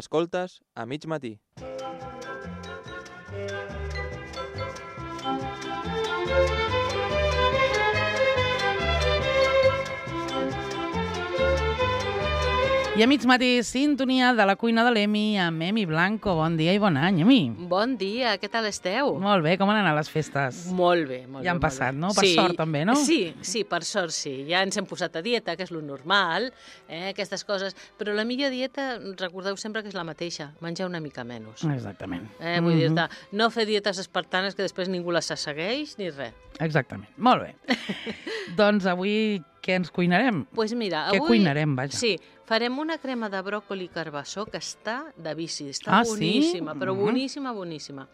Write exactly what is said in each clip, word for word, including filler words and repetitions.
Escoltes a mig matí. I a mig matí, sintonia de la cuina de l'Emi amb Emi Blanco. Bon dia i bon any, Emi. Bon dia, què tal esteu? Molt bé, com han anat les festes? Molt bé, molt bé. Ja han molt passat, bé. no? Per sí, sort també, no? Sí, sí, per sort sí. Ja ens hem posat a dieta, que és lo normal, eh, aquestes coses. Però la millor dieta, recordeu sempre que és la mateixa, menjar una mica menys. Exactament. Eh, vull Mhm. dir-te, no fer dietes espartanes que després ningú les segueix ni res. Exactament. Molt bé. Doncs avui què ens cuinarem? Pues mira, Què avui... cuinarem, vaja? Sí, farem una crema de bròcoli i carbassó que està de vici, està Ah, sí? boníssima, però Mhm. boníssima, boníssima.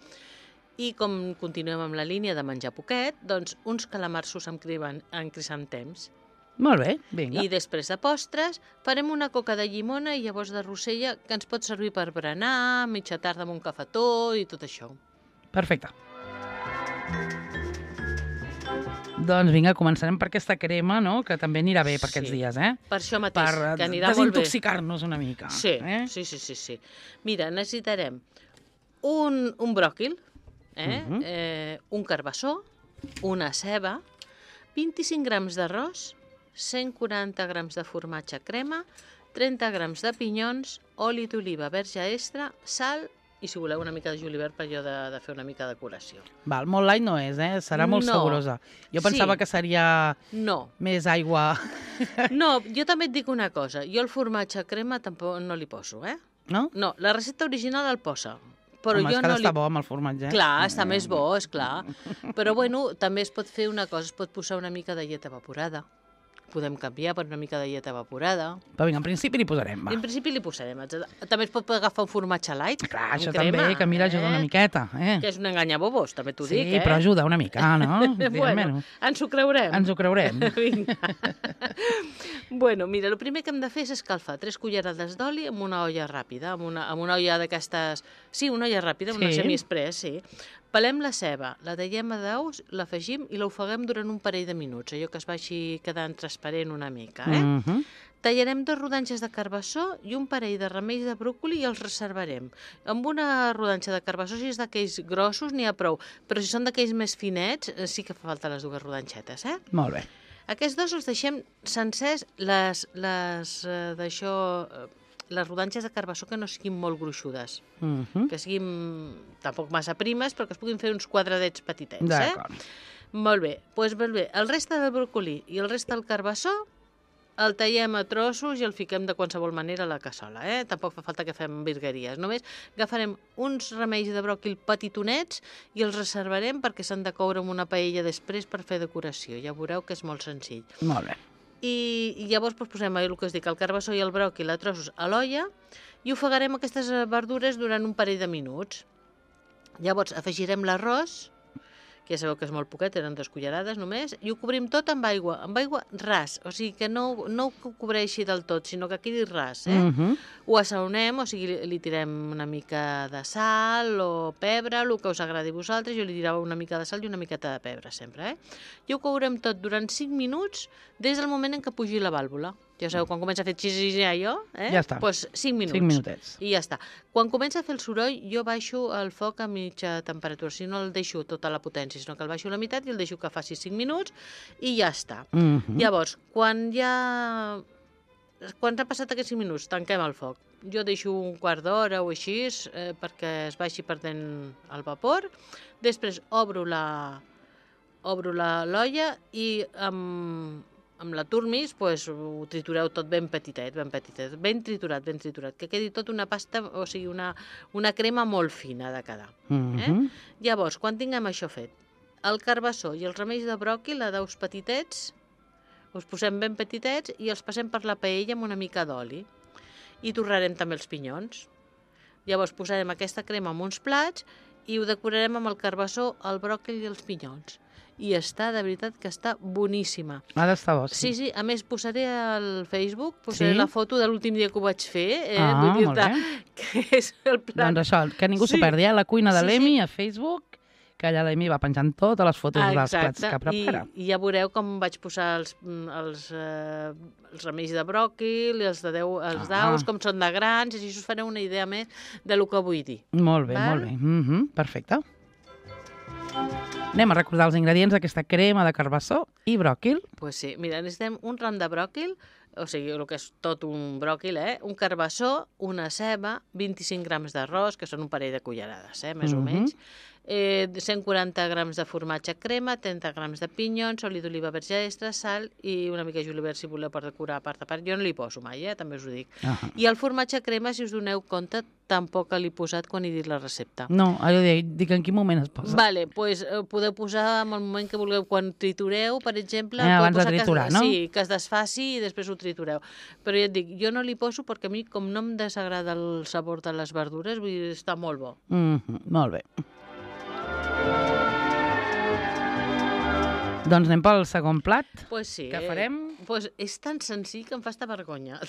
I com continuem amb la línia de menjar poquet, doncs uns calamarsos amb, criban, amb crisantems. Molt bé, vinga. I després de postres farem una coca de llimona i llavors de rosella que ens pot servir per berenar, mitja tarda amb un cafetó i tot això. Perfecte. Doncs vinga, començarem per aquesta crema, no?, que també anirà bé per Sí. aquests dies, eh? Per això mateix, Per que anirà molt bé. desintoxicar-nos una mica. Sí, eh? sí, sí, sí, sí. Mira, necessitarem un, un bròquil, eh? Mhm. eh, un carbassó, una ceba, vint-i-cinc grams d'arròs, cent quaranta grams de formatge crema, trenta grams de pinyons, oli d'oliva verge extra, sal i, si voleu, una mica de julivert per allò de, de fer una mica de decoració. Val, molt light no és, eh? Serà molt No. saborosa. Jo pensava Sí. que seria No, més aigua, no, jo també et dic una cosa. Jo el formatge crema tampoc no li poso, eh? no? No, la recepta original el posa, però Home, jo és que no està li... bo amb el formatge. eh? Clar, està més bo, és clar. Però, bueno, també es pot fer una cosa, es pot posar una mica de llet evaporada. Podem canviar per una mica de llet evaporada. Però vinga, en principi li posarem, va. En principi li posarem. etcètera. També es pot agafar un formatge light. Clar, amb això crema, també, que mira, ajuda una eh? miqueta, eh? Que és un enganyabobos, també t'ho Sí, dic, eh? però ajuda una mica, no? Bueno, ens ho creurem. Ens ho creurem. Vinga. Bueno, mira, el primer que hem de fer és escalfar tres cullerades d'oli amb una olla ràpida, amb una, amb una olla d'aquestes... Sí, una olla ràpida, una Sí. semi-express, sí. Pelem la ceba, la tallem a daus, l'afegim i l'ofeguem durant un parell de minuts, allò que es vagi quedant transparent una mica, eh? Mhm. Tallarem dos rodanxes de carbassó i un parell de ramells de bròcoli i els reservarem. Amb una rodanxa de carbassó, si és d'aquells grossos, n'hi ha prou, però si són d'aquells més finets, eh, sí que fa falta les dues rodanxetes, eh? Molt bé. Aquests dos els deixem sencers, les, les, eh, d'això, eh, les rodanxes de carbassó que no siguin molt gruixudes, Mhm. que siguin tampoc massa primes, però que es puguin fer uns quadradets petitets, eh? D'acord. Molt bé, doncs molt bé. El reste del bròcoli i el reste del carbassó el tallem a trossos i el fiquem de qualsevol manera a la cassola, eh? Tampoc fa falta que fem virgueries. Només agafarem uns ramells de bròquil petitonets i els reservarem perquè s'han de coure en una paella després per fer decoració. Ja veureu que és molt senzill. Molt bé. I, i llavors doncs, posem el que us dic, el carbassó i el bròquil a trossos a l'olla i ofegarem aquestes eh, verdures durant un parell de minuts. Llavors afegirem l'arròs, que ja sabeu que és molt poquet, eren dues cullerades només, i ho cobrim tot amb aigua, amb aigua ras, o sigui que no, no ho cobreixi del tot, sinó que quedi ras, eh? Mhm. Ho assaonem, o sigui, li, li tirem una mica de sal o pebre, el que us agradi a vosaltres, jo li tirava una mica de sal i una miqueta de pebre sempre, eh? I ho courem tot durant cinc minuts des del moment en què pugi la vàlvula. Ja sabeu, quan comença a fer xissis i allò, eh? Ja està. Doncs cinc minuts. Cinc minutets. I ja està. Quan comença a fer el soroll, jo baixo el foc a mitja temperatura. Si no el deixo tota la potència, sinó que el baixo a la meitat i el deixo que faci cinc minuts i ja està. Mhm. Llavors, quan ja... Quan s'han passat aquests cinc minuts, tanquem el foc. Jo deixo un quart d'hora o així eh, perquè es vagi perdent el vapor. Després obro la obro la l'olla i amb, amb la turmis pues, ho tritureu tot ben petitet, ben petitet, ben triturat, ben triturat, que quedi tot una pasta, o sigui, una, una crema molt fina de quedar. Eh? Mhm. Llavors, quan tinguem això fet, el carbassó i els remeis de bròquil a daus petitets, els posem ben petitets i els passem per la paella amb una mica d'oli. I torrarem també els pinyons. Llavors posarem aquesta crema en uns plats i ho decorarem amb el carbassó, el bròquil i els pinyons. I està, de veritat, que està boníssima. Ha d'estar bo, Sí, sí. sí, a més posaré al Facebook, posaré Sí? la foto de l'últim dia que ho vaig fer, eh? Ah, Vull molt dir-te bé. que és el plan. Doncs això, que ningú s'ho Sí. perdi, eh? La cuina de Sí, l'Emi sí. a Facebook, que allà l'Emi va penjant totes les fotos dels plats que prepara. I, I ja veureu com vaig posar els, els, eh, els remeis de bròquil, els, de deu, els Ah. daus, com són de grans, i així us fareu una idea més de lo que vull dir. Molt bé, Val? molt bé. Mm -hmm, perfecte. Anem a recordar els ingredients d'aquesta crema de carbassó i bròquil. Pues sí, mira, necessitem un ram de bròquil, o sigui, el que és tot un bròquil, eh? Un carbassó, una ceba, vint-i-cinc grams d'arròs, que són un parell de cullerades, eh? Més Mhm. o menys. Eh, cent quaranta grams de formatge crema, trenta grams de pinyons, oli d'oliva verge extra, sal i una mica de julivert si voleu per decorar a part a part. Jo no li poso mai, eh? També us ho dic. Ah. I el formatge crema, si us doneu compte, tampoc l'he posat quan he dit la recepta. No, allò dic, dic en quin moment es posa. Vale, doncs pues, eh, podeu posar en el moment que vulgueu, quan tritureu, per exemple, Eh, podeu abans de posar triturar, que, no? Sí, que es desfaci i després ho tritureu. Però ja et dic, jo no li poso perquè a mi, com no em desagrada el sabor de les verdures, vull dir, està molt bo. Mm -hmm, molt bé. Doncs anem pel segon plat. Pues sí. Què farem? Eh, pues és tan senzill que em fa estar vergonya.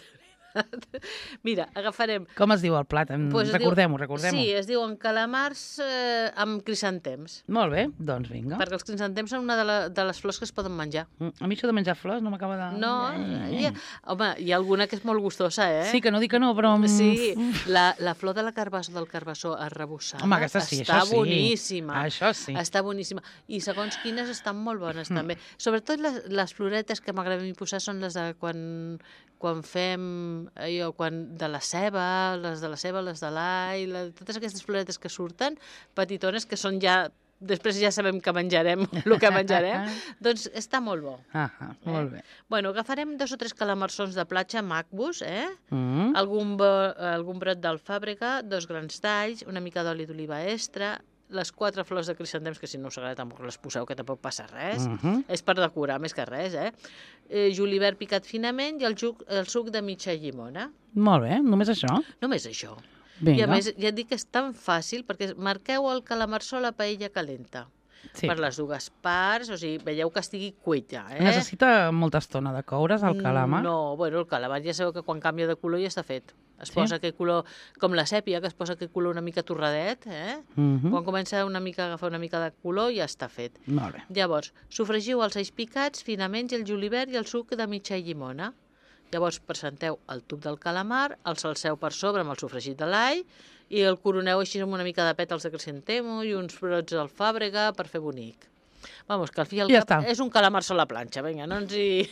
Mira, agafarem... Com es diu el plat? Pues es Recordem-ho, diu- recordem-ho. Sí, es diuen calamars eh, amb crisantems. Molt bé, doncs vinga. Perquè els crisantems són una de, la, de les flors que es poden menjar. Mm, A mi això de menjar flors no m'acaba de... No, Eh, hi ha, home, hi ha alguna que és molt gustosa, eh? Sí, que no dic que no, però... mm, Sí, la, la flor de la carbassó, del carbassó arrebossada Home, aquesta sí, està això sí. boníssima. Això sí. Està boníssima. I segons quines estan molt bones, Mm. també. Sobretot les, les floretes que m'agrada a mi posar són les de quan, quan fem allò, quan de la ceba, les de la ceba, les de l'all, la, totes aquestes floretes que surten, petitones, que són ja... Després ja sabem que menjarem, el que menjarem. Doncs està molt bo. Ah, ah, molt bé. Bueno, agafarem dos o tres calamarsons de platja macbos, eh? Mm. Algun, bo, algun brot d'alfàbrega, dos grans talls, una mica d'oli d'oliva extra, les quatre flors de crisantems, que si no us agrada tampoc les poseu, que tampoc passa res. Mhm. És per decorar, més que res, eh? eh julivert picat finament i el, suc, el suc de mitja llimona. Molt bé, només això? Només això. Vinga. I a més, ja et dic que és tan fàcil, perquè marqueu el calamarsó a la paella calenta. Sí. Per les dues parts, o sigui, veieu que estigui cuit ja, eh? Necessita molta estona de coure's, el calamar? No, bueno, el calamar ja sabeu que quan canvia de color ja està fet. Es Sí? posa aquell color, com la sèpia, que es posa aquell color una mica torradet, eh? Mhm. Quan comença una mica a agafar una mica de color ja està fet. Molt bé. Llavors, sofregiu els alls picats, finament, i el julivert i el suc de mitja llimona. Llavors, presenteu el tub del calamar, el salseu per sobre amb el sofregit de l'all i el coroneu així amb una mica de pètals de crisantemo i uns brots d'alfàbrega per fer bonic. Vamos, que al fi i al Ja cap està. és un calamar a la planxa, vinga, no ens hi...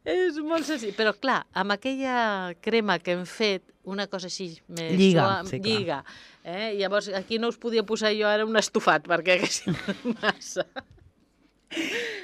És molt senzill, però clar, amb aquella crema que hem fet, una cosa així més Lliga, suau, sí, clar. lliga. Eh? Llavors, aquí no us podia posar jo ara un estofat, perquè hagués massa.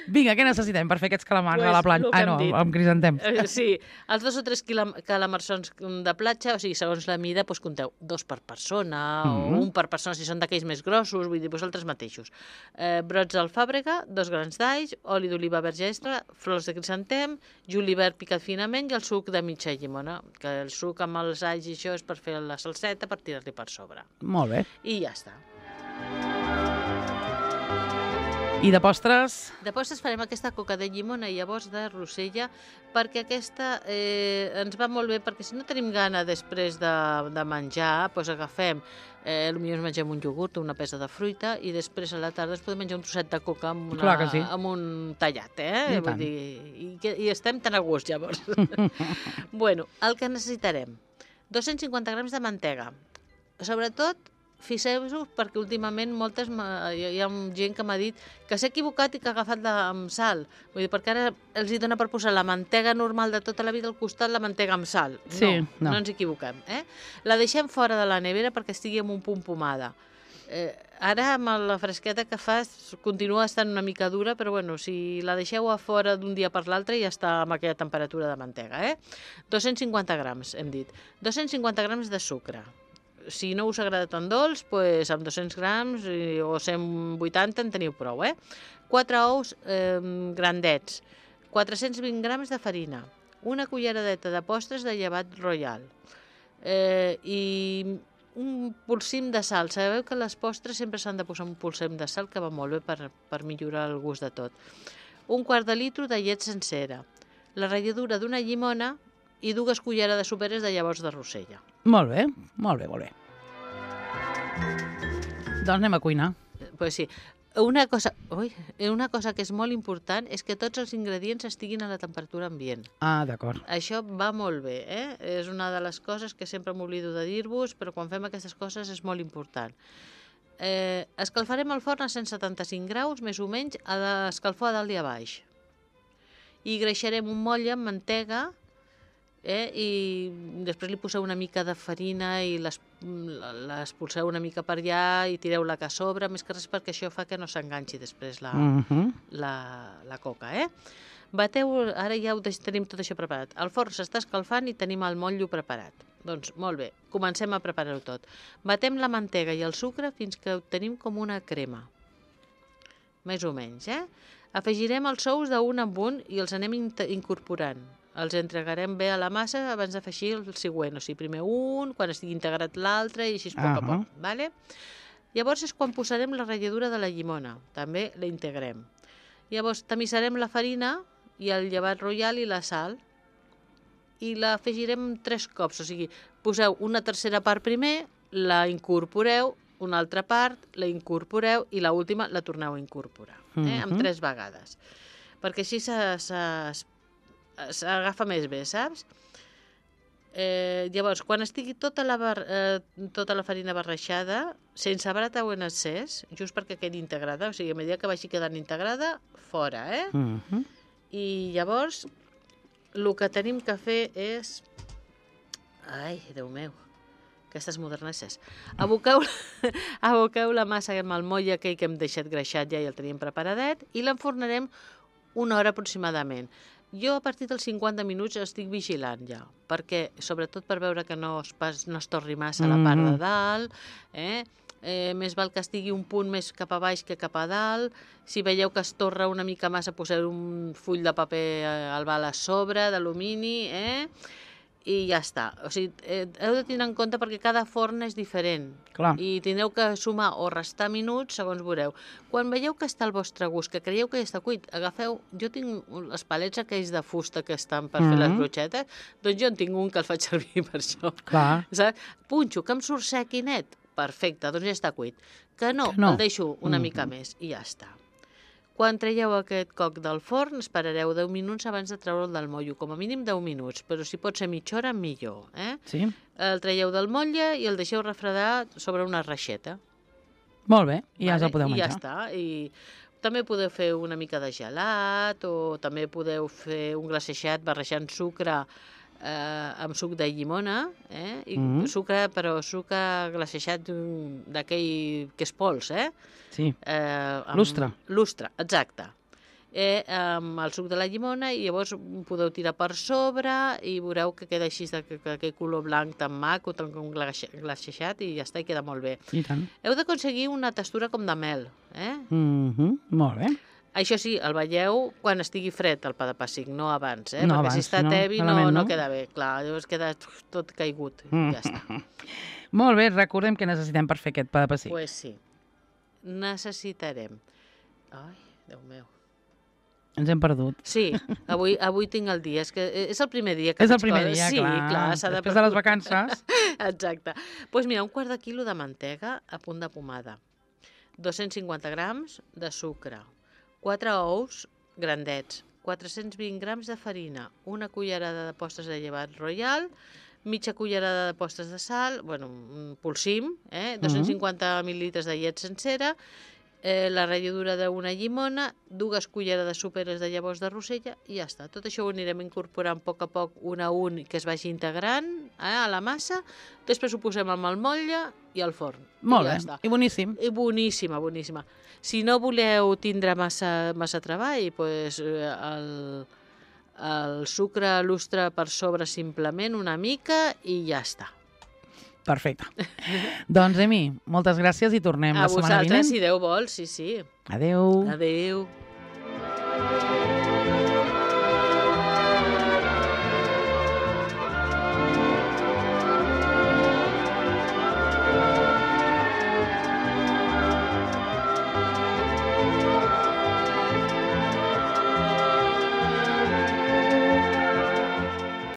Vinga, què necessitem per fer aquests calamars Pues, a la planxa? el que Ah, hem no, dit. amb crisantems. Eh, Sí, els dos o tres quila- calamarsons de platja, o sigui, segons la mida, doncs compteu dos per persona, Mhm. o un per persona si són d'aquells més grossos, vull dir, vosaltres mateixos. Eh, brots d'alfàbrega, dos grans d'alls, oli d'oliva verge extra, flors de crisantem, julivert picat finament i el suc de mitja llimona, que el suc amb els alls i això és per fer la salseta, per tirar-li per sobre. Molt bé. I ja està. I de postres? De postres farem aquesta coca de llimona i llavors de rosella, perquè aquesta eh, ens va molt bé, perquè si no tenim gana després de, de menjar, doncs agafem, eh, potser ens mengem un iogurt o una peça de fruita i després a la tarda ens podem menjar un trosset de coca amb, una, Clar que sí. amb un tallat, eh? I Vull tant. dir, i, que- i estem tan a gust, llavors. Bueno, el que necessitarem, dos-cents cinquanta grams de mantega. Sobretot, fixeu-vos, perquè últimament moltes m'ha- hi ha gent que m'ha dit que s'ha equivocat i que ha agafat la, amb sal. Vull dir, perquè ara els hi dona per posar la mantega normal de tota la vida al costat, la mantega amb sal. Sí, no, no. no ens equivoquem. Eh? La deixem fora de la nevera perquè estigui amb un punt pomada. Eh, ara, amb la fresqueta que fa, continua estant una mica dura, però bueno, si la deixeu a fora d'un dia per l'altre ja està amb aquella temperatura de mantega. Eh? dos-cents cinquanta grams, hem dit. dos-cents cinquanta grams de sucre. Si no us agrada tan dolç, doncs amb dos-cents grams i- o cent vuitanta en teniu prou, eh? quatre ous eh, grandets, quatre-cents vint grams de farina, una culleradeta de postres de llevat royal eh, i un polsim de sal. Sabeu que les postres sempre s'han de posar un polsim de sal, que va molt bé per, per millorar el gust de tot. Un quart de litro de llet sencera, la ratlladura d'una llimona i dues cullerades soperes de llavors de rosella. Molt bé, molt bé, molt bé. Doncs anem a cuinar. Pues sí. Una cosa, ui, una cosa que és molt important és que tots els ingredients estiguin a la temperatura ambient. Ah, d'acord. Això va molt bé, eh? És una de les coses que sempre m'oblido de dir-vos, però quan fem aquestes coses és molt important. Eh, escalfarem el forn a cent setanta-cinc graus, més o menys, a l'escalfor a dalt i a baix. I greixarem un motlle amb mantega, eh? I després li poseu una mica de farina i l'espolseu una mica per allà i tireu-la que a sobre, més que res perquè això fa que no s'enganxi després la, Uh -huh. la, la coca, eh? Bateu, ara ja ho tenim tot això preparat. El forn s'està escalfant i tenim el motllo preparat. Doncs molt bé, comencem a preparar-ho tot. Batem la mantega i el sucre fins que obtenim com una crema. Més o menys, eh? Afegirem els ous d'un en un i els anem incorporant. Els entregarem bé a la massa abans d'afegir el següent. O sigui, primer un, quan estigui integrat l'altre i així a poc a poc. Vale? Llavors és quan posarem la ratlladura de la llimona. També la integrem. Llavors tamissarem la farina i el llevat royal i la sal i l'afegirem tres cops. O sigui, poseu una tercera part primer, la incorporeu, una altra part, la incorporeu i l'última la torneu a incorporar. Eh? Amb tres vegades. Perquè així s'agafa més bé, saps? Eh, llavors, quan estigui tota la, bar, eh, tota la farina barrejada, sense brata o en excés, just perquè quedi integrada, o sigui, a mesura que vagi quedant integrada, fora, eh? Uh -huh. I llavors, el que tenim que fer és... Ai, Déu meu, aquestes modernesses. Aboqueu, aboqueu la massa amb el motlle aquell que hem deixat greixat ja i el teníem preparadet i l'enfornarem una hora aproximadament. Jo a partir dels cinquanta minuts estic vigilant ja, perquè, sobretot per veure que no es, pas, no es torri massa a la part de dalt, eh? Eh, més val que estigui un punt més cap a baix que cap a dalt. Si veieu que es torra una mica massa, poseu un full de paper albal a sobre, d'alumini, eh? I ja està. O sigui, eh, heu de tenir en compte perquè cada forn és diferent. Clar. I tindreu que sumar o restar minuts segons veureu. Quan veieu que està al vostre gust, que creieu que ja està cuit, agafeu... Jo tinc els palets aquells de fusta que estan per fer les brochetes, doncs jo en tinc un que el faig servir per això. Clar. Saps? Punxo, que em surt sec i net. Perfecte, doncs ja està cuit. Que no, Que no. el deixo una mm. mica més i ja està. Quan traieu aquest coc del forn, esperareu deu minuts abans de treure'l del motllo, com a mínim deu minuts, però si pot ser mitja hora, millor. Eh? Sí. El traieu del motlle i el deixeu refredar sobre una reixeta. Molt bé, i ja vale? us el podeu I menjar. ja està. I també podeu fer una mica de gelat o també podeu fer un glacejat barrejant sucre eh, amb suc de llimona, eh? I Mm. sucre, però sucre glacejat d'aquell que és pols, eh? Sí. Eh, amb... Lustre. Lustre, exacte. Eh, amb el suc de la llimona i llavors podeu tirar per sobre i veureu que queda així d'aquell color blanc tan maco, tan com glacejat i ja està, i queda molt bé. I tant. Heu d'aconseguir una textura com de mel, eh? Mm -hmm. Molt bé. Això sí, el veieu quan estigui fred el pa de pessic, no abans, eh? No Perquè abans, si està si no, tebi no, malament, no no? queda bé. Clar, llavors queda tot caigut, Mm. ja està. Molt bé, recordem que necessitem per fer aquest pa de pessic. Doncs pues sí, necessitarem... Ai, Déu meu. Ens hem perdut. Sí, avui, avui tinc el dia. És, que és el primer dia que És el faig primer coses. dia, sí, clar. clar s'ha de Després de les vacances. Exacte. Doncs pues mira, un quart de quilo de mantega a punt de pomada, dos-cents cinquanta grams de sucre, quatre ous grandets, quatre-cents vint grams de farina, una cullerada de postres de llevat royal, mitja cullerada de postres de sal, bueno, un polsim, eh? dos-cents cinquanta mil·lilitres de llet sencera, eh, la ratlladura d'una llimona, dues cullerades soperes de llavors de rosella i ja està. Tot això ho anirem incorporant a poc a poc un a un que es vagi integrant eh, a la massa, després ho posem amb el motlle i al forn. Molt I ja bé, està. i boníssim. I boníssima, boníssima. Si no voleu tindre massa, massa treball, pues, el, el sucre lustre per sobre simplement una mica i ja està. Perfecte. Doncs, Emi, moltes gràcies i tornem A la setmana vinent. vosaltres, si Déu vol, sí, sí. Adéu. Adéu.